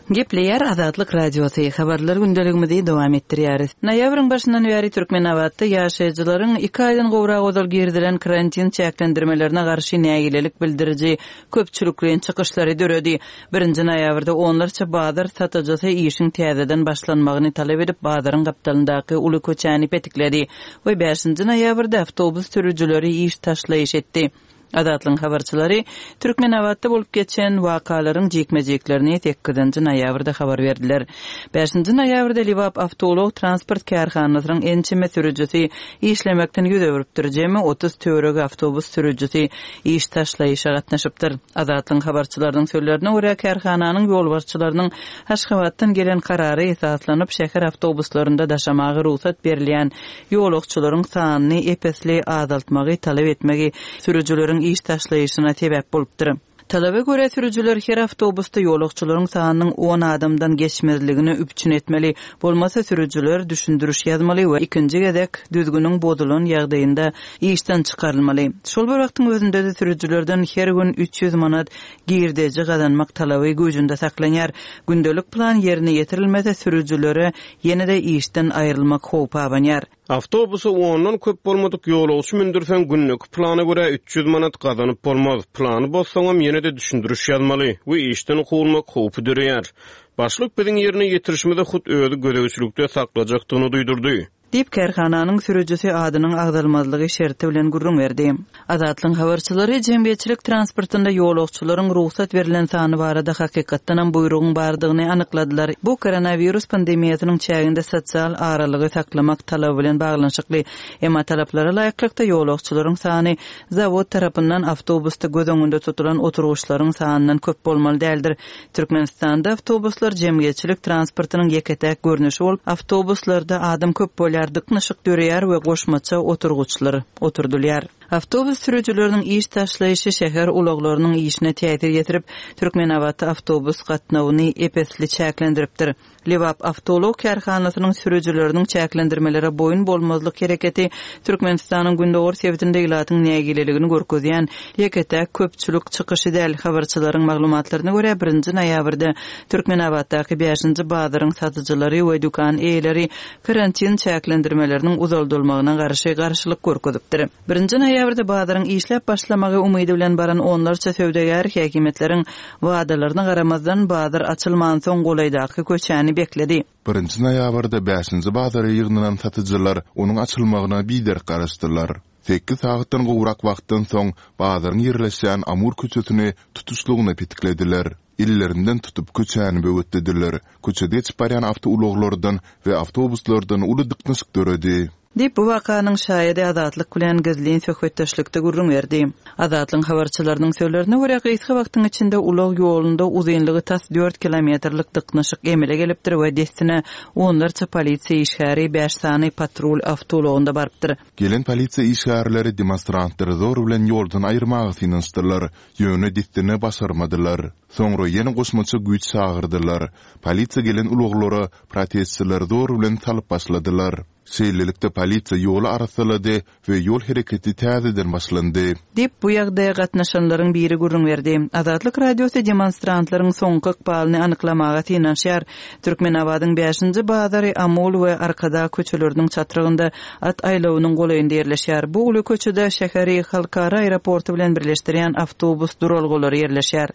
Gepleýär Azatlyk Radiosy, Habarlar gündeligimizi dowam etdirýäris. Noýabryň başyndan bäri Türkmenabatda ýaşaýjylaryň iki aýdan gowrak ozal girizilen karantin çäklendirmelerine garşy nägilelik bildiriji köpçülikleýin çykyşlary döredi. Birinji noýabrda onlarça bazar satyjysy işiň täzeden başlanmagyny talap edip bazaryň gapdalyndaky uly köçäni petikledi we bäşinji noýabrda awtobus sürüjileri iş taşlaýyş etdi. Azatlygyň habarçylary Türkmenabatda bolup geçen wakalaryň jikme-jiklerini sekizinji noýabrda habar berdiler. Bäşinji noýabrda Lebap awtoulag transport kärhanasynyň ençeme sürüjisi işlemekden ýüz öwrüpdir, jemi 30 töweregi awtobus sürüjisi iş taşlaýyşa gatnaşypdyr. Azatlygyň habarçylarynyň sözlerine görä, kärhananyň ýolbaşçylarynyň Aşgabatdan gelen karara esaslanyp, şäher awtobuslarynda daşamaga rugsat berilýän ýolagçylaryň sanyny ep-esli azaltmagy talap etmegi sürüjileriň iş taşlaýyşyna sebäp bolupdyr. Talaba görä, sürüjiler her awtobusda ýolagçylaryň sanynyň on adamdan geçmezligini üpjün etmeli, bolmasa sürüjiler düşündiriş ýazmaly we ikinji gezek düzgüniň bozulan ýagdaýynda işden çykarylmaly. Şol bir wagtyň özünde-de sürüjilerden her gün 300 manat girdeji gazanmak talaby güýjünde saklanýar. Gündelik plan ýerine ýetirilmese sürüjilere ýene-de işden aýrylmak howpy abanýar. Awtobusa ondan köp bolmadyk ýolagçy mündürseň gündeki plana görä 300 manat gazanyp bolmaz. Plany bozsaňam ýene-de düşündiriş ýazmaly we işden kowulmak howpy döreýär. Başlyk biziň ýerine ýetirişimizi hut özi gözegçilikde saklajakdygyny duýdurdy. Diýip, kärhananyň sürüjisi adynyň agzalmazlygy şerti bilen gürrüň berdi. Azatlygyň habarçylary jemgyýetçilik transportynda ýolagçylaryň rugsat berlen sany barada hakykatdanam buýrugyň bardygyny anykladylar. Bu koronawirus pandemiýasynyň çäginde sosial aralygy saklamak talaby bilen baglanyşykly. Emma talaplara laýyklykda ýolagçylaryň sany zawod tarapyndan awtobusda göz öňünde tutulan oturgyçlaryň sanyndan köp bolmaly däldir. Türkmenistanda awtobuslar jemgyýetçilik transportynyň ýeke-täk görnüşi bolup, awtobuslarda adam köp bolýar, dyknyşyk döreýär we goşmaça oturgyçlar oturdylýar. Awtobus sürüjileriniň iş taşlaýşy şäher ulaglarynyň işine täsir ýetirip, Türkmenabatda awtobus gatnawyny ep-esli çäklendiripdir. Lebap awtoulag kärhanasynyň sürüjileriniň çäklendirmelere boýun bolmazlyk hereketi Türkmenistanyň gündogar sebitinde ilatyň nägileligini görkezýän ýeke-täk köpçülik çykyşy däl. Habarçylaryň maglumatlaryna görä, birinji noýabrda Türkmenabatdaky bäşinji bazaryň satyjylary we dükan eýeleri karantin çäklendirmeleriniň uzaldylmagyna garşy garşylyk görkezipdir. Birinji noýabrda bazaryň işläp başlamagy umydy bilen baran onlarça söwdagär häkimiýetleriň wadalaryna garamazdan, bazar açylmansoň golaýdaky köçäni bekledi. Birinji noýabrda bäşinji bazara ýygnanan satyjylar onuň açylmagyna biderek garaşdylar. Sekiz sagatdan gowrak wagtdan soň bazaryň ýerleşýän Amur köçesini tutuşlygyna petiklediler. Ellerinden tutup köçäni böwetlediler. Köçede geçip barýan awtoulaglardan we awtobuslardan uly dyknyşyk döredi. Diýip, bu wakanyň şaýady Azatlyk bilen gizlin söhbetdeşlikde gürrüň berdi. Azatlygyň habarçylarynyň sözlerine görä, gysga wagtyň içinde ulag ýolunda uzynlygy tas dört kilometrlik dyknyşyk emele gelipdir we dessine onlarça polisiýa işgäri bäş sany patrul awtoulagynda barypdyr. Gelen polisiýa işgärleri demonstrantlary zor bilen ýoldan aýyrmaga synanyşdylar, ýöne dessine başarmadylar. Soňra ýene goşmaça güýç çagyrdylar. Polisiýa gelen ulaglara protestçileri zor bilen salyp başladylar. Şeýlelikde, polisiýa ýoly arassalady we ýol hereketi täzeden başlandy. Diýip, bu ýagdaýa gatnaşanlaryň biri gürrüň berdi. Azatlyk Radiosy demonstrantlaryň soňky ykbalyny anyklamaga synanyşýar. Türkmenabadyň bäşinji bazary Amul we Arkadag köçeleriniň çatrygynda at aýlawynyň golaýynda ýerleşýär. Bu uly köçede şäheri halkara aeroporty bilen birleşdirýän awtobus duralgalary ýerleşýär.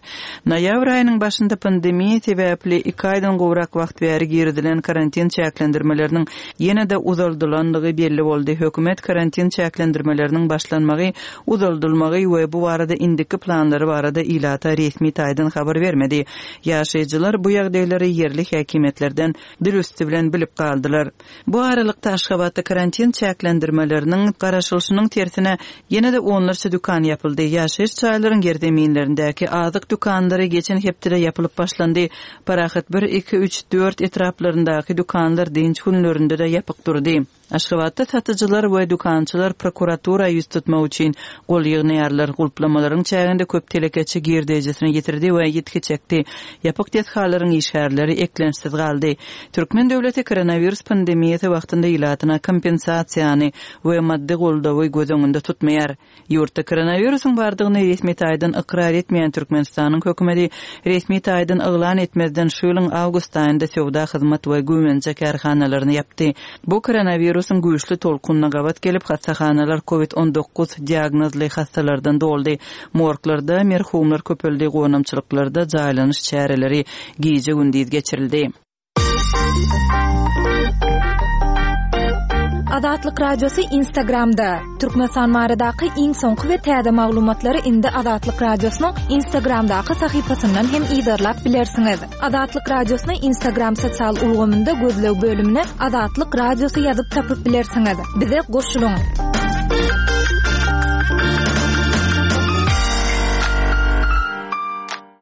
Noýabr aýynyň başynda pandemiýa sebäpli iki aýdan gowrak wagt bäri girizilen karantin çäklendirmeleriniň ýene-de uzaldylandygy belli boldy. Hökümet karantin çäklendirmeleriniň başlanmagy, uzaldylmagy we bu barada indiki planlary barada ilata resmi taýdan habar bermedi. Ýaşaýjylar bu ýagdaýlary ýerli häkimiýetlerden dil üsti bilen bilip galdylar. Bu aralykda, Aşgabatda karantin çäklendirmeleriniň garaşylyşynyň tersine, ýene-de onlarça dükan ýapyldy. Ýaşaýyş jaýlaryň ýerzeminlerindäki azyk dükanlary geçen hepdede ýapylyp başlandy. Parahat bir, iki, üç, dört etraplaryndaky dükanlar dynç günlerinde-de ýapyk durdy. Aşgabatda satyjylar we dükançylar prokuratura ýüz tutmak üçin gol ýygnaýarlar. Gulplamalaryň çäginde köp telekeçi girdejisini ýitirdi we ýitgi çekdi. Ýapyk desgalaryň işgärleri eklençsiz galdy. Türkmen döwleti koronawirus pandemiýasy wagtynda ilatyna kompensasiýany we maddy goldawy göz öňünde tutmaýar. Ýurtda koronawirusyň bardygyny resmi taýdan ykrar etmeýän Türkmenistanyň hökümeti resmi taýdan yglan etmezden şu ýylyň awgust aýynda söwda, hyzmat we güwenje kärhanalaryny ýapdy. Bu koronawirusyň güýçli tolkunyna gabat gelip, hassahanalar covid 19 diagnozly hassalardan doldy. Morglarda merhumlar köpeldi, gonamçylyklarda jaýlanyş çäreleri gije-gündiz geçirildi. Azatlyk Radiosy Instagramda, Türkmenistan baradaky iň soňky we täze maglumatlary indi Azatlyk Radiosynyň Instagramdaky sahypasyndan hem yzarlap bilersiňiz. Azatlyk Radiosyny Instagram sosial ulgamynda gözleg bölümine Azatlyk Radiosy ýazyp tapyp bilersiňiz. Bize goşulyň!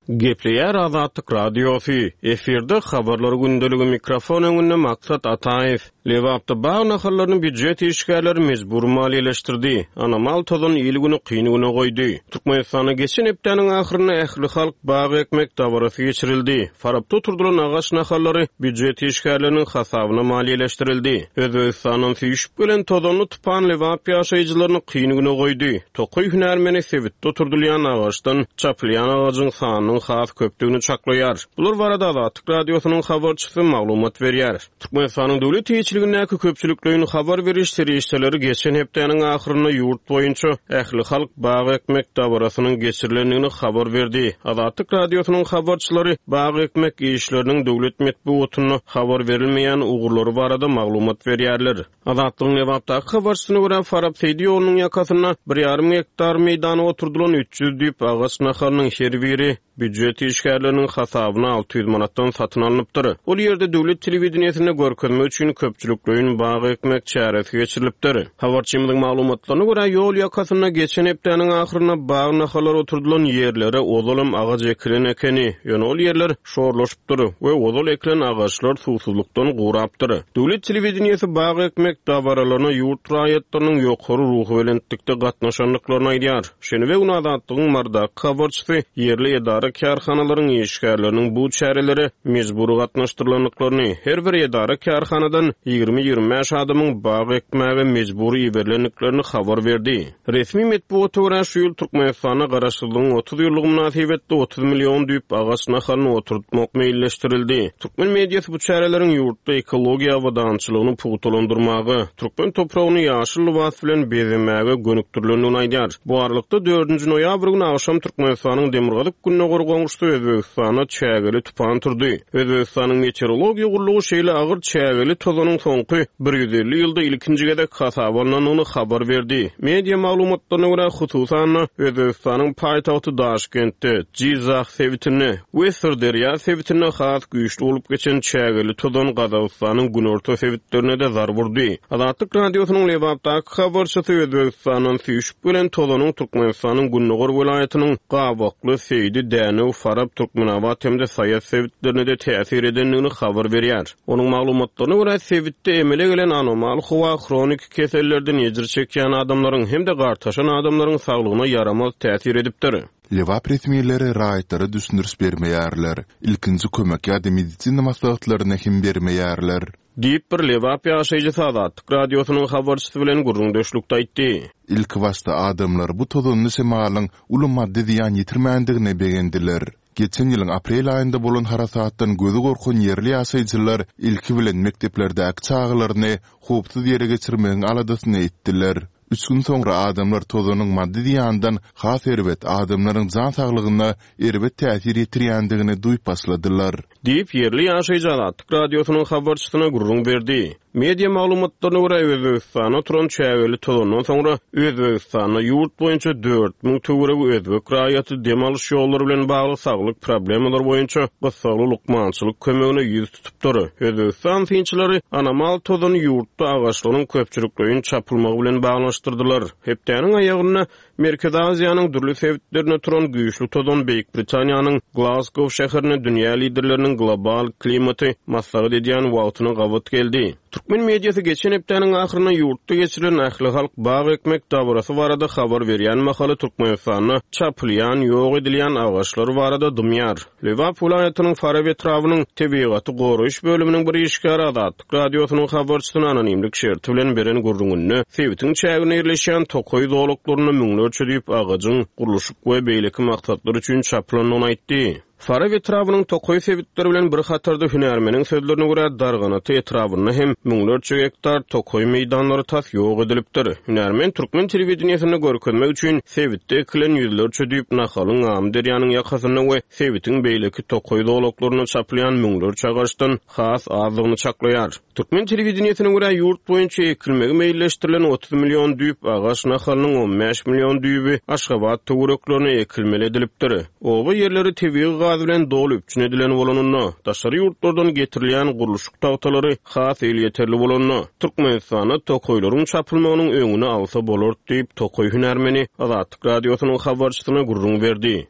Gepleýär Azatlyk Radiosy, efirde Habarlar gündeligi mikrofon öňünde Maksat Ataýew. Lebapda bag nahallaryny býujet işgärleri mejbury maliýeleşdirdi. Anomal tozan il-güni kyn güne goýdy. Türkmenistanda geçen hepdäniň ahyrynda ählihalk bag ekmek dabarasy geçirildi. Farapda oturdylan agaç nahallary býujet işgärleriniň hasabyna maliýeleşdirildi. Özbegistandan süýşüp gelen tozanly tupan Lebap ýaşaýjylaryny kyn güne goýdy. Tokaý hünärmeni sebitde oturdylýan agaçdan çapylýan agajyň sanynyň has köpdügini çaklaýar. Bular barada Azatlyk Radiosynyň habarçysy maglumat berýär. Türkmenistanyň döwlet eýeçiligindäki köpçülikleýin habar beriş serişdeleri geçen hepdäniň ahyrynda ýurt boýunça ählihalk bag ekmek dabarasynyň geçirilendigini habar berdi. Azatlyk Radiosynyň habarçylary bag ekmek işleriniň döwlet metbugatynda habar berilmeýän ugurlary barada maglumat berýärler. Azatlygyň Lebapdaky habarçysyna görä, Farap-Seýdi ýolunyň ýakasynda bir ýarym gektar meýdana oturdylan 300 düýp agaç nahalynyň her biri býujet işgärleriniň hasabyna 600 manatdan satyn alnypdyr. Ol ýerde döwlet telewideniýesinde görkezmek üçin köpçülikleýin bag ekmek çäresi geçirilipdir. Habarçymyzyň maglumatlaryna görä, ýol ýakasynda geçen hepdäniň ahyrynda bag nahallary oturdylan ýerlere ozalam agaç ekilen ekeni, ýöne ol ýerler şorlaşypdyr we ozal ekilen agaçlar suwsuzlykdan gurapdyr. Döwlet telewideniýesi bag ekmek dabaralaryna ýurt raýatlarynyň ýokary ruhubelentlikde gatnaşandyklaryny aýdýar. Şenbe güni Azatlygyň Marydaky habarçysy ýerli edara-kärhanalaryň işgärleriniň bu çärelere mejbury gatnaşdyrylandyklaryny, her bir edara-kärhanadan 20-25 adamyň bag ekmäge mejbury iberilendiklerini habar berdi. Resmi metbugata görä, şu ýyl Türkmenistanda Garaşsyzlygyň 30 ýyllygy mynasybetli 30 million düýp agaç nahalyny oturtmak meýilleşdirildi. Türkmen mediasy bu çäreleriň ýurtda ekologiýa abadançylygyny pugtalandyrmaga, türkmen topragyny ýaşyl lybas bilen bezemäge gönükdirilendigini aýdýar. Bu aralykda, dördünji noýabr güni agşam Türkmenistanyň demirgazyk-gündogar goňşusy Özbegistanda çägeli tupan turdy. Özbegistanyň Meteorologiýa gullugy şeýle agyr çägeli tozanyň soňky 150 ýylda ilkinji gezek hasaba alnandygyny habar berdi. Media maglumatlaryna görä, hususan-da, Özbegistanyň paýtagty Daşkentde, Jyzah sebitinde we Syrderýa sebitinde has güýçli bolup geçen çägeli tozan Gazagystanyň günorta sebitlerine-de zarb urdy. Azatlyk Radiosynyň Lebapdaky habarçysy Özbegistandan süýşüp gelen tozanyň Türkmenistanyň gündogar welaýatynyň Gabakly, Seýdi, Dänew, Farap, Türkmenabat hem-de Saýat sebitlerine-de täsir edendigini habar berýär. Onuň maglumatlaryna görä, sebitde emele gelen anomal howa hroniki kesellerden ejir çekýän adamlaryň hem-de gartaşan adamlaryň saglygyna ýaramaz täsir edipdir. Lebap resmileri raýatlara düşündiriş bermeýärler, ilkinji kömek ýa-da medisina maslahatlaryny hem bermeýärler. Diýip, bir lebap ýaşaýjysy Azatlyk Radiosynyň habarçysy bilen gürrüňdeşlikde aýtdy. Ilkibaşda adamlar bu tozanly şemalyň uly maddy zyýan ýetirmändigine begendiler. Geçen ýylyň aprel aýynda bolan harasatdan gözi gorkan ýerli ýaşaýjylar ilki bilen mekdeplerdäki çagalaryny howpsuz ýere geçirmegiň aladasyny etdiler. Üç gün soňra adamlar tozanyň maddy zyýandan has erbet, adamlaryň jan saglygyna erbet täsir ýetirýändigini duýup başladylar. Diýip, ýerli ýaşaýjy Azatlyk Radiosynyň habarçysyna gürrüň berdi. Media maglumatlaryna görä, Özbegistanda turan çägeli tozandan soňra Özbegistanda ýurt boýunça 4000 töweregi özbek raýaty dem alyş ýollary bilen bagly saglyk problemalary boýunça gyssagly lukmançylyk kömegine ýüz tutupdyr. Özbegistan synçylary anomal tozany ýurtda agaçlaryň köpçülikleýin çapylmagy bilen baglanyşdyrdylar. Hepdäniň aýagynda Merkezi Aziýanyň dürli sebitlerinde turan güýçli tozan Beýik Britaniýanyň Glazgow şäherinde dünýä liderleriniň. Guramasynyň global klimaty maslahat edýän wagtyna gabat geldi. Türkmen mediasy geçen hepdäniň ahyrynda ýurtda geçirilen ählihalk bag ekmek dabarasy barada habar berýän mahaly Türkmenistanda çapylýan, ýok edilýän agaçlar barada dymýar. Lebap welaýatynyň Farap etrabynyň tebigaty goraýyş bölüminiň bir işgäri Azatlyk Radiosynyň habarçysyna anonimlik şerti bilen beren gürrüňinde sebitiň çäginde ýerleşýän tokaý zolaklarynda müňlerçe düýp agajyň gurluşyk we beýleki maksatlar üçin çapylandygyny aýtdy. Farap etrabynyň tokaý sebitleri bilen bir hatarda hünärmeniň sözlerine görä Darganata etrabynda hem müňlerçe gektar tokaý meýdanlary tas ýok edilipdir. Hünärmen türkmen telewideniýesinde görkezmek üçin sebitde ekilen ýüzlerçe düýp nahalyň Amyderýanyň ýakasynda we sebitiň beýleki tokaý zolaklarynda çapylýan müňlerçe agaçdan has azdygyny çaklaýar. Türkmen telewideniýesine görä, ýurt boýunça ekilmegi meýilleşdirilen 30 million düýp agaç nahalynyň 15 million düýbi Aşgabat töwereklerine ekilmeli edilipdir. Oba ýerleri tebigy gaz bilen doly üpjün edilen bolanynda, daşary ýurtlardan getirilýän gurluşyk tagtalary has elýeterli bolanda, Türkmenistanda tokaýlaryň çapylmagynyň öňüni alsa bolardy diýip, tokaý hünärmeni Azatlyk Radiosynyň habarçysyna gürrüň berdi.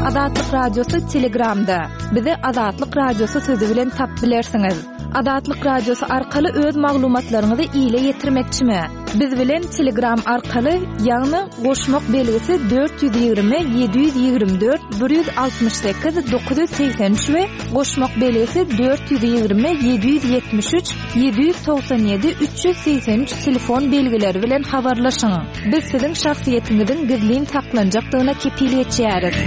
Azatlyk Radiosy Telegramda. Bizi Azatlyk Radiosy sözi bilen tap bilersiňiz. Azatlyk Radiosy arkaly öz maglumatlaryňyzy ile ýetirmekçimi? Biz bilen Telegram arkaly, ýagny goşmak belgisi 420 724 168 983 we goşmak belgisi 420 773 797 383 telefon belgileri bilen habarlaşyň. Biz siziň şahsyýetiňiziň gizlin saklanjakdygyna kepil geçýäris.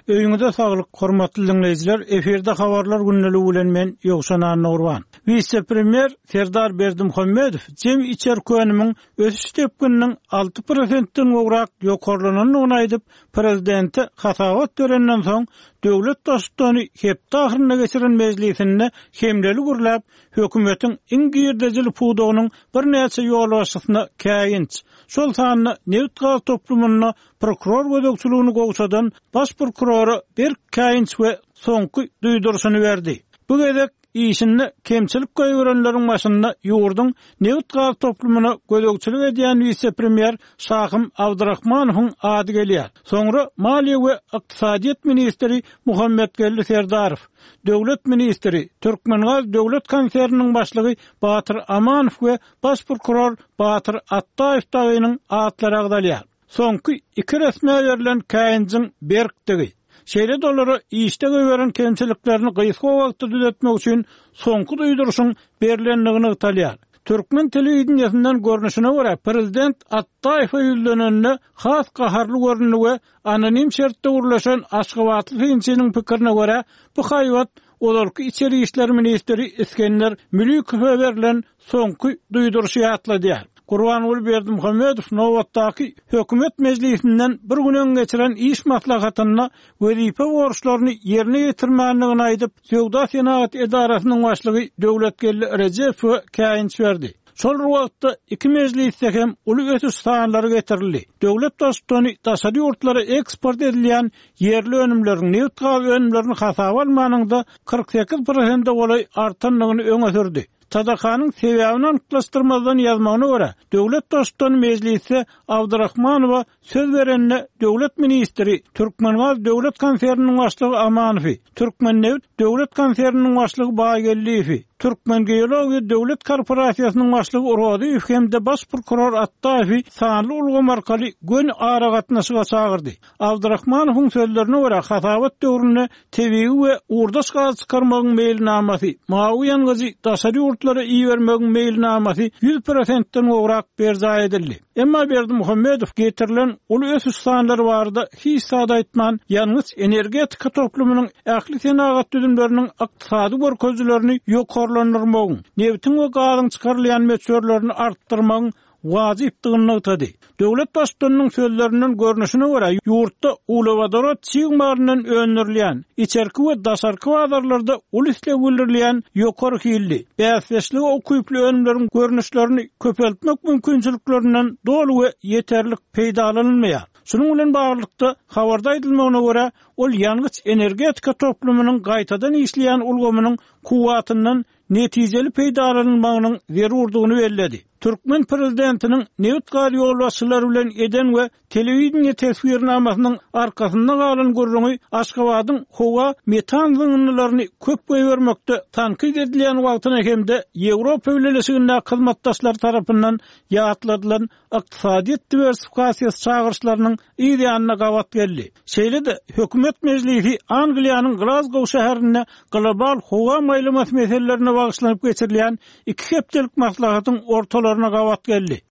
Öýüňize saglyk, hormatly diňleýjiler, efirde Habarlar gündeligi bilen men Ýowşan Annagurban. Wise-premýer Serdar Berdimuhamedow jemi içerki önümiň ösüş depgininiň alty prosentden gowrak ýokarlanandygyny aýdyp, prezidente hasabat berenden soň, döwlet Baştutany hepde ahyrynda geçiren mejlisinde hemleli gürläp, hökümetiň iň girdejili pudagynyň birnäçe ýolbaşçysyna käýinç, şol sanda nebit-gaz toplumynda prokuror gözegçiligini gowşadan baş prokurora berk käýinç we soňky duýduryşyny berdi. Bu gezek işinde kemçilik goýberenleriň başynda ýurduň nebit-gaz toplumyna gözegçilik edýän wise-premýer Şahym Abdyrahmanowyň ady gelýär. Soňra maliýe we ykdysadyýet ministri Muhammetgeldi Serdarow, döwlet ministri, Türkmengaz döwlet konserniniň başlygy Batyr Amanow we baş prokuror Batyr Atdaýew dagynyň atlary agzalýar. Soňky iki resmä berlen käýinjiň berkdigi, şeýle-de olara işde goýberen kemçiliklerini gysga wagtda düzetmek üçin soňky duýduryşyň berlendigi nygtalýar. Türkmen telewideniýesinden görnüşine görä, prezident Atdaýewe ýüzlenende has gaharly göründi we Anonim şertde gürleşen aşgabatly synçynyň pikirine görä, bu haýbat ozalky içeri işler ministri Isgender Mülikowa berlen soňky duýduryşy ýatladýar. Gurbanguly Berdimuhamedow nobatdaky hökümet mejlisinden bir gün öň geçiren iş maslahatynda wezipe borçlaryny ýerine ýetirmändigini aýdyp, Söwda-senagat edarasynyň başlygy Döwletgeldi Rejepowa käýinç berdi. Şol bir wagtda, iki mejlisde hem uly ösüş sanlary getirildi. Döwlet Baştutany daşary ýurtlara eksport edilýän ýerli önümleriň, nebit-gaz önümlerini hasaba almanyňda, 48 prosente golaý artandygyny öňe sürdi. TDK-nyň sebäbini anyklaşdyrmazdan ýazmagyna görä, döwlet Baştutany mejlisde Abdyrahmanowa Söz berende döwlet ministri, Türkmengaz döwlet konserniniň başlygy Amanowy, Türkmennebit döwlet konserniniň başlygy Baýgeldiýewi, Türkmengeologiýa döwlet korporasiýasynyň başlygy Rozyýew hem-de baş prokuror Atdaýewi sanly ulgam arkaly göni aragatnaşyga çagyrdy. Abdyrahmanowyň sözlerine görä, hasabat döwründe tebigy we ugurdaş gaz çykarmagyň meýilnamasy, mawy ýangyjy daşary ýurtlara ibermegiň meýilnamasy ýüz prosentden gowrak berjaý edildi. Emma Berdimuhamedow getirilen uly ösüş sanlary barada hiç zat aýtman, ýangyç-energetika toplumynyň ähli senagat düzümleriniň ykdysady görkezijilerini ýokarlandyrmagyň, nebitiň we gazyň çykarylýan möçberlerini artdyrmagyň wajypdygyny nygtady. Döwlet Baştutanynyň sözlerinden görnüşine görä, ýurtda uglewodorod çig malyndan öndürilýän, içerki we daşarky bazarlarda uly isleg bildirilýän ýokary hilli, bäsdeşlige ukyply önümleriň görnüşlerini köpeltmek mümkinçiliklerinden doly we ýeterlik peýdalanylmaýar. Şunuň bilen baglylykda, habarda aýdylmagyna görä, ol ýangyç-energetika toplumynyň gaýtadan işleýän ulgamynyň kuwwatyndan. netijeli peýdalanylmagynyň zerurdygyny belledi. Türkmen prezidentiniň nebit-gaz ýolbaşçylary bilen eden we telewideniýe teswirnamasynyň arkasynda galan gürrüňi Aşgabadyň howa metan zyňyndylaryny köp goýbermekde tankyt edilýän wagtyna hem-de Ýewropa Bileleşigindäki hyzmatdaşlary tarapyndan ýatladylan ykdysadyýet diwersifikasiýasy çagyryşlarynyň yz ýanyna gabat geldi. Şeýle-de, hökümet mejlisi Angliýanyň Glazgow şäherinde global howa maýlamasy meselelerine bagyşlanyp geçirilýän iki hepdelik maslahatyň ortalaryna gabat geldi.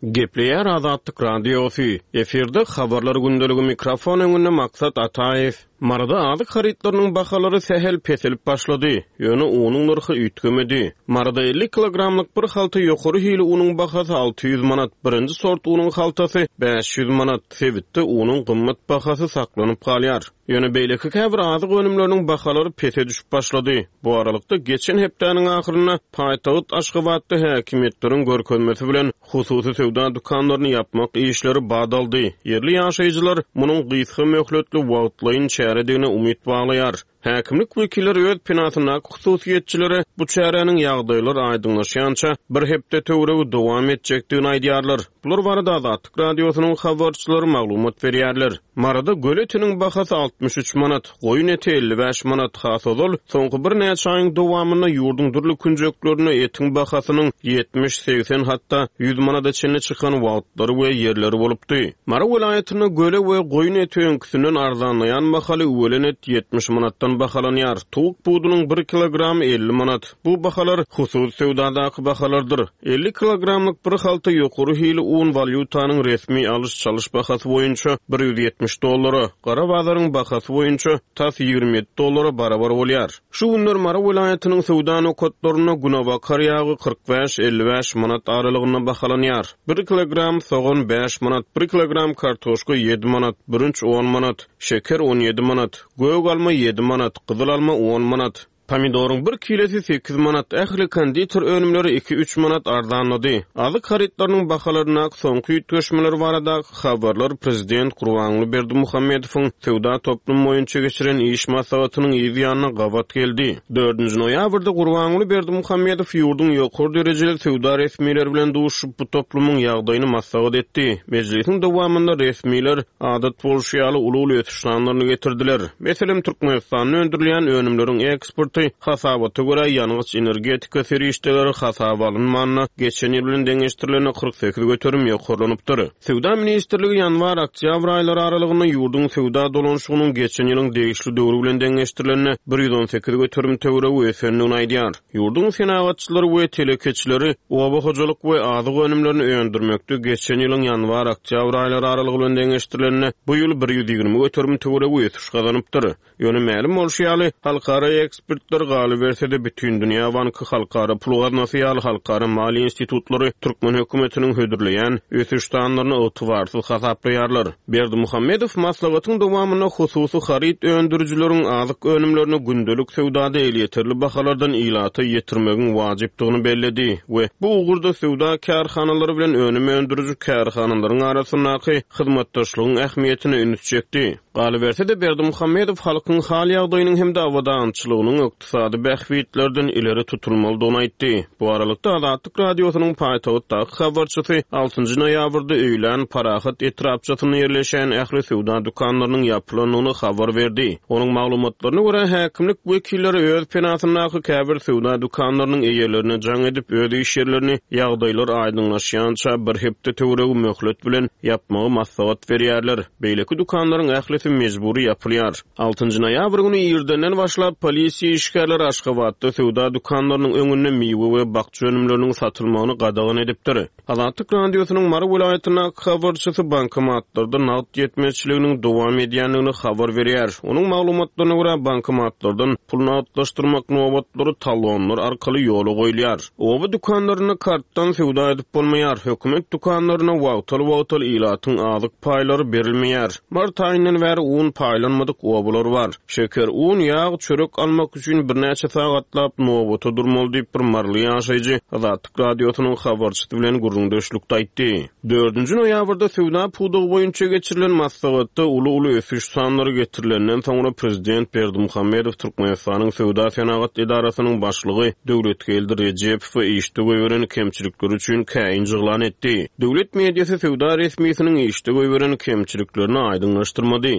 Gepleýär Azatlyk Radiosy, Efirde Habarlar gündeligi mikrofon öňünde Maksat Ataýew. Maryda azyk harytlarynyň bahalary sähel peselip başlady, ýöne unuň nyrhy üýtgemedi. Maryda 50 kilogramlyk bir halta ýokary hili unuň bahasy 600 manat, birinji sort unuň haltasy 500 manat. Sebitde unuň gymmat bahasy saklanyp galýar. Ýöne beýleki käbir azyk önümleriniň bahalary pese düşüp başlady. Bu aralykda, geçen hepdäniň ahyrynda paýtagt Aşgabatda häkimiýetleriň görkezmesi bilen hususy söwda dükanlaryny ýapmak işleri bat aldy. Ýerli ýaşaýjylar munuň gysga möhletli wagtlaýyn çäredigine umyt baglaýar. Häkimlik wekilleri öz penasyndaky hususyýetçilere bu çäräniň ýagdaýlar aýdyňlaşýança bir hepde töweregi dowam etjekdigini aýdýarlar. Bular barada Azatlyk Radiosynyň habarçylary maglumat berýärler. Maryda göle etiniň bahasy 63 manat, goýun eti 55 manat, has ozal, soňky birnäçe aýyň dowamynda ýurduň dürli künjeklerinde etiň bahasynyň 70, 80, hatda 100 manada çenli çykan wagtlary we ýerleri bolupdy. Mary welaýatynda göle we goýun eti öňküsinden arzanlaýan mahaly üwelen et 70 manatdan bahalanýar, towuk budunyň bir kilogramy 50 manat. Bu bahalar hususy söwdadaky bahalardyr. 50 kilogramlyk bir halta ýokary hili un walýutanyň resmi alyş-çalyş bahasy boýunça 170 dollara, gara bazaryň bahasy boýunça tas 27 dollara barabar bolýar. Şu günler Mary welaýatynyň söwda nokatlarynda günebakar ýagy 45, 55 manat aralygynda bahalanýar. Bir kilogram sogan bäş manat, bir kilogram kartoşka ýedi manat, bürünç on manat, şeker 17 manat, gök alma ýedi manat, gyzyl alma on manat. Pomidoryň bir kilesi sekiz manat, ähli konditer önümleri iki-üç manat arzanlady. Azyk harytlarynyň bahalaryndaky soňky üýtgeşmeler baradaky habarlar prezident Gurbanguly Berdimuhamedowyň söwda toplumy boýunça geçiren iş maslahatynyň yz ýanyna gabat geldi. Dördünji noýabrda Gurbanguly Berdimuhamedow ýurduň ýokary derejeli söwda resmileri bilen duşuşyp, bu toplumyň ýagdaýyny maslahat etdi. Mejlisiň dowamynda resmiler, adat bolşy ýaly, uly-uly ösüş sanlaryny getirdiler. Meselem, Türkmenistanda öndürilýän önümleriň eksporty, hasabata görä, ýangyç-energetika serişdeleri hasaba alynmanda, geçen ýyl bilen deňeşdirilende 48% ýokarlanypdyr. Söwda ministrligi ýanwar-oktýabr aýlary aralygynda ýurduň söwda dolanyşygynyň geçen ýylyň degişli döwri bilen deňeşdirilende 118% töweregi ösendigini aýdýar. Ýurduň senagatçylary we telekeçileri oba hojalyk we azyk önümlerini öndürmekde geçen ýylyň ýanwar-oktýabr aýlary aralygy bilen deňeşdirilende, bu ýyl 120% töweregi ösüş gazanypdyr. Ýöne mälim bolşy ýaly, halkara ekspertler, galyberse-de, Bütindünýä banky, Halkara pul gaznasy ýaly halkara maliýe institutlary türkmen hökümetiniň hödürleýän ösüş sanlaryny ygtybarsyz hasaplaýarlar. Berdimuhamedow maslahatyň dowamynda hususy haryt öndürijileriň azyk önümlerini gündelik söwdada elýeterli bahalardan ilata ýetirmegiň wajypdygyny belledi we bu ugurda söwda kärhanalary bilen önüm öndüriji kärhanalaryň arasyndaky hyzmatdaşlygyň ähmiýetine üns çekdi. Galyberse-de, Berdimuhamedow halkyň hal-ýagdaýynyň hem-de abadançylygynyň ykdysady bähbitlerden ileri tutulmalydygyny aýtdy. Bu aralykda, Azatlyk Radiosynyň paýtagtdaky habarçysy altynjy noýabrda öýlän Parahat etrapçasynda ýerleşýän ähli söwda dükanlarynyň ýapylandygyny habar berdi. Onuň maglumatlaryna görä, häkimlik wekilleri öz penasyndaky käbir söwda dükanlarynyň eýelerine jaň edip, öz iş ýerlerini ýagdaýlar aýdyňlaşýança bir hepde töweregi möhlet bilen ýapmagy maslahat berýärler. Beýleki dükanlaryň ählisi mejbury ýapylýar. Altynjy noýabr güni irdenden başlap, polisiýa işgärleri Aşgabatda söwda dükanlarynyň öňünde miwe we bakja önümleriniň satylmagyny gadagan edipdir. Azatlyk Radiosynyň Mary welaýatyndaky habarçysy bankomatlarda nagt ýetmezçiliginiň dowam edýändigini habar berýär. Onuň maglumatlaryna görä, bankomatlardan pul nagtlaşdyrmak nobatlary talonlar arkaly ýola goýulýar. Oba dükanlarynda kartdan söwda edip bolmaýar, hökümet dükanlarynda wagtal-wagtal ilatyň azyk paýlary berilmeýär. Mart aýyndan bäri un paýlanmadyk obalar bar. Şeker, un, ýag, çörek almak üçin. üçin birnäçe sagatlap nobata durmaly diýip, bir maryly ýaşaýjy Azatlyk Radiosynyň habarçysy bilen gürrüňdeşlikde aýtdy. Dördünji noýabrda söwda pudagy boýunça geçirilen maslahatda uly-uly ösüş sanlary getirilenden soňra prezident Berdimuhamedow Türkmenistanyň Söwda-senagat edarasynyň başlygy Döwletgeldi Rejepowy işde goýberen kemçilikleri üçin käýinç yglan etdi. Döwlet mediasy söwda resmisiniň işde goýberen kemçiliklerini aýdyňlaşdyrmady.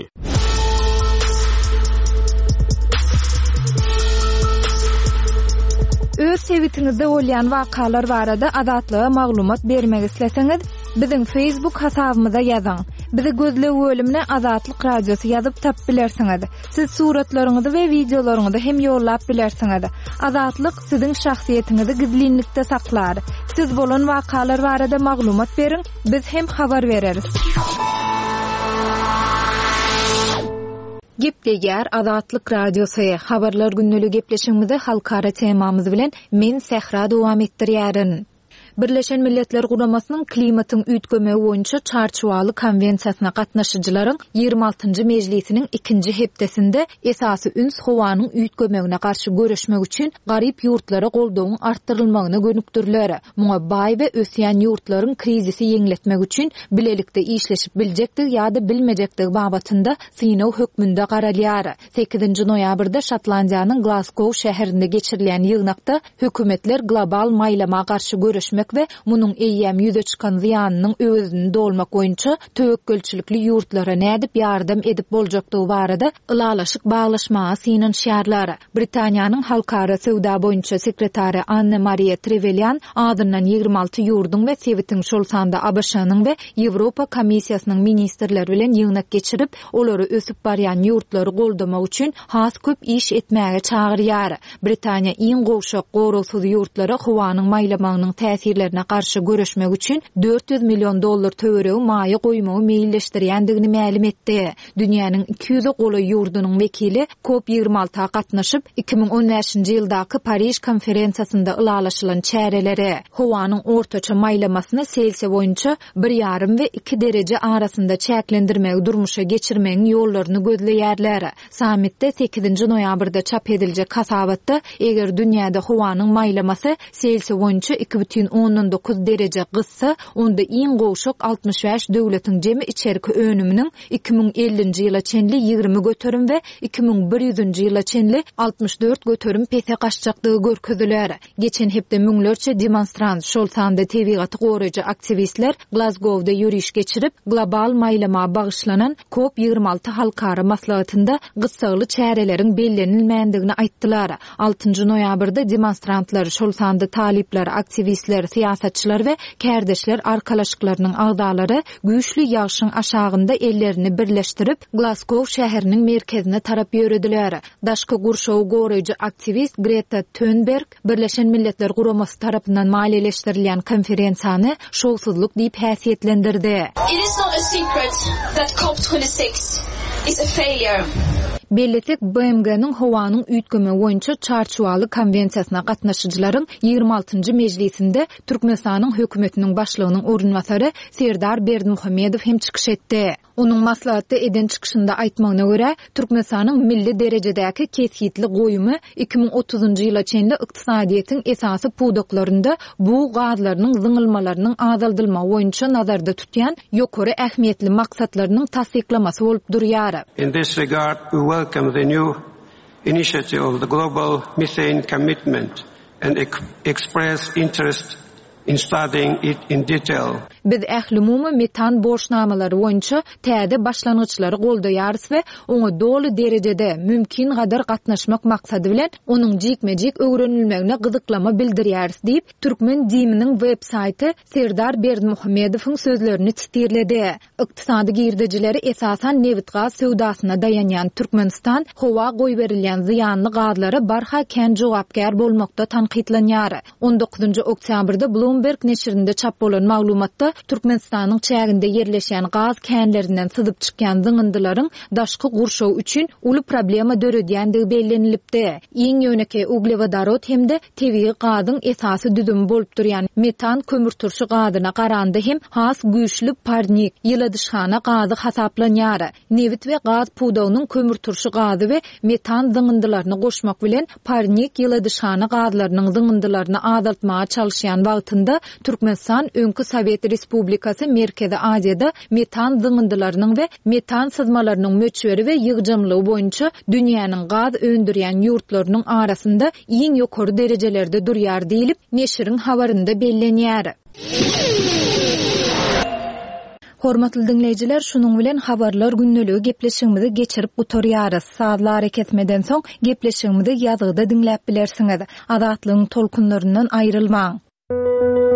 Öz sebitiňizde bolýan wakalar barada Azatlyga maglumat bermek isleseňiz, biziň Facebook hasabymyza ýazyň. Bizi gözleg bölümine Azatlyk Radiosy ýazyp tapyp bilersiňiz. Siz suratlaryňyzy we wideolaryňyzy hem ýollap bilersiňiz. Azatlyk siziň şahsyýetiňizi gizlinlikde saklar. Siz bolan wakalar barada maglumat beriň, biz hem habar bereris. Gepleýär Azatlyk Radiosy, Habarlar gündeligi gepleşigimizi halkara temamyz bilen men Sähra dowam etdirýärin. Birleşen Milletler Guramasynyň Klimatyň üýtgemegi boýunça Çarçuwaly konwensiýasyna gatnaşyjylaryň ýigrimi altynjy mejlisiniň ikinji hepdesinde esasy üns howanyň üýtgemegine garşy göreşmek üçin garyp ýurtlara goldawyň artdyrylmagyna gönükdiriler. Muňa baý we ösýän ýurtlaryň krizisi ýeňletmek üçin bilelikde işleşip biljekdigi ýa-da bilmejekdigi babatynda synag hökmünde garalýar. Sekizinji noýabrda Şotlandiýanyň Glazgow şäherinde geçirilýän ýygnakda hökümetler global maýlama garşy göreşmek we munuň eýýäm ýüze çykan zyýanynyň öwezini dolmak boýunça töwekgelçilikli ýurtlara nädip ýardam edip boljakdygy barada ylalaşyk baglaşmaga synanyşýarlar. Britaniýanyň halkara söwda boýunça sekretary Anne-Mariýa Trewelýan azyndan 26 ýurduň we sebitiň, şol sanda ABŞ-nyň we Ýewropa Komissiýasynyň ministrleri bilen ýygnak geçirip, olary ösüp barýan ýurtlary goldamak üçin has köp iş etmäge çagyrýar. Britaniýa iň gowşak, goragsyz ýurtlara howanyň maýlamagynyň täsirlerine garşy göreşmek üçin 400 million dollar töweregi maýa goýmagy meýilleşdirýändigini mälim etdi. Dünýäniň 200-e golaý ýurdunyň wekili Kop 26-a gatnaşyp, 2015-nji ýyldaky Pariž konferensiýasynda ylalaşylan çäreleri, howanyň ortaça maýlamasyny Selsiýa boýunça bir ýarym we iki dereje arasynda çäklendirmegi durmuşa geçirmegiň ýollaryny gözleýärler. Sammitde sekizinji noýabrda çap ediljek hasabatda, eger dünýäde howanyň maýlamasy Selsiý boýunça 2,9 dereje gyzsa, onda iň gowşak 65 döwletiň jemi içerki önüminiň 2050-nji ýyla çenli 20% we 2100-nji ýyla çenli 64% pese gaçjakdygy görkeziler. Geçen hepde müňlerçe demonstrant, şol sanda tebigaty goraýjy aktiwistler Glazgowda ýöriş geçirip, global maýlama bagyşlanan Kop 26 halkara maslahatynda gyssagly çäreleriň bellenilmändigini aýtdylar. Altynjy noýabrda demonstrantlar, şol sanda talyplar, aktiwistler, syýasatçylar we kärdeşler arkalaşyklarynyň agzalary güýçli ýagşyň aşagynda ellerini birleşdirip, Glazgow şäheriniň merkezine tarap ýörediler. Daşky gurşawy goraýjy aktiwist Greta Tönberg Birleşen Milletler Guramasy tarapyndan maliýeleşdirilýän konferensiýany şowsuzlyk diýip häsiýetlendirdi. It is not a secret that cop 26 is a failure. Bellesek, BMG-niň Howanyň üýtgemegi boýunça Çarçuwaly konwensiýasyna gatnaşyjylaryň ýigrimi altynjy mejlisinde Türkmenistanyň Hökümetiniň Başlygynyň orunbasary Serdar Berdimuhamedow hem çykyş etdi. Onuň maslahatda eden çykyşynda aýtmagyna görä, Türkmenistanyň milli derejedäki kesgitli goýumy 2030-njy ýyla çenli ykdysadyýetiň esasy pudaklarynda bug gazlarynyň zyňylmalarynyň azaldylmagy boýunça nazarda tutýan ýokary ähmiýetli maksatlarynyň tassyklamasy bolup durýar. In this regard, we welcome the new initiative of the Global Methane Commitment and express interest in studying it in detail. Biz ählumumy metan borçnamalary boýunça täze başlangyçlary goldaýarys we oňa doly derejede, mümkingadar gatnaşmak maksady bilen, onuň jikme-jik öwrenilmegine gyzyklama bildirýäris diýip, türkmen DIM-niň web saýty Serdar Berdimuhamedowyň sözlerini titirledi. Ykdysady girdejileri esasan nebit-gaz söwdasyna daýanýan Türkmenistan howa goýberilýän zyýanly gazlara barha kän jogapkär bolmakda tankytlanýar. On dokuzynjy oktýabrda Bloomberg neşirinde çap bolan maglumatda. Türkmenistanyň çäginde ýerleşýän gaz känlerinden syzyp çykýan zyňyndylaryň daşky gurşaw üçin uly problema döredýändigi bellenilipdi. Iň ýönekeý uglewodorod hem-de tebigy gazyň esasy düzümi bolup durýan metan kömürturşy gazyna garanda hem has güýçli parnik, ýyladyşhana gazy hasaplanýar. Nebit we gaz pudagynyň kömürturşy gazy we metan zyňyndylaryny goşmak bilen parnik ýyladyşhana gazlarynyň zyňyndylaryny azaltmaga çalyşýan wagtynda Türkmenistan öňki Sowet Respublikasy Merkezi Aziýada metan zyňyndylarynyň we metan syzmalarynyň möçberi we ýygjamlygy boýunça dünýäniň gaz öndürýän ýurtlarynyň arasynda iň ýokary derejelerde durýar diýlip, neşiriň habarynda bellenýär. Hormatly diňleýjiler, şunuň bilen Habarlar gündeligi gepleşigimizi geçirip gutarýarys. Sazly arakesmeden soň gepleşigimizi ýazgyda diňläp bilersiňiz. Azatlygyň tolkunlaryndan aýrylmaň!